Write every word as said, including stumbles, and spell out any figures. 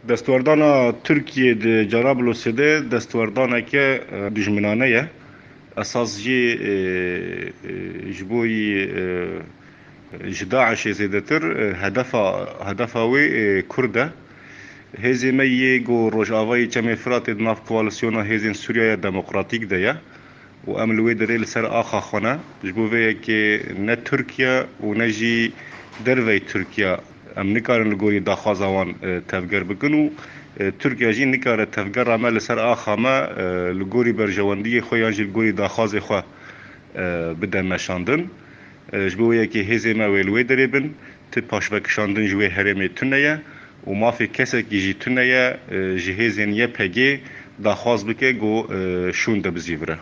Destwerdana Tirkiyê di Carablosê de destwerdaneke e, dijminane ye. Esas jî e, e, ji bo yî e, ji DAIŞê zêdetir e, hedefa hedefa wê e, Kurd e. Hêzê me yê ku Rojavayê Çemê Firatê di nav koalîsyona hêzên Sûriyeya Demokratîk de ye û em li wê derê li ser axa xwe ne. Ji bo vê yekê ne Tirkiye û ne jî dervey Tirkiye em nikarin li gorî daxwaza wan e, tevger bikin û e, Tirkiye jî nikare tevgera me li ser axa me e, li gorî berjewendiyê xwe yan jî li gorî daxwazê xwe e, bide meşandin. E, ji bo wê yekê hêzê me wê li wê derê bin, ti paşvekişandin ji wê herêmê tune ye û mafê kesekî jî tune ye e, ji hêzên Y P G daxwaz bike ku e, şûn de bizîvire.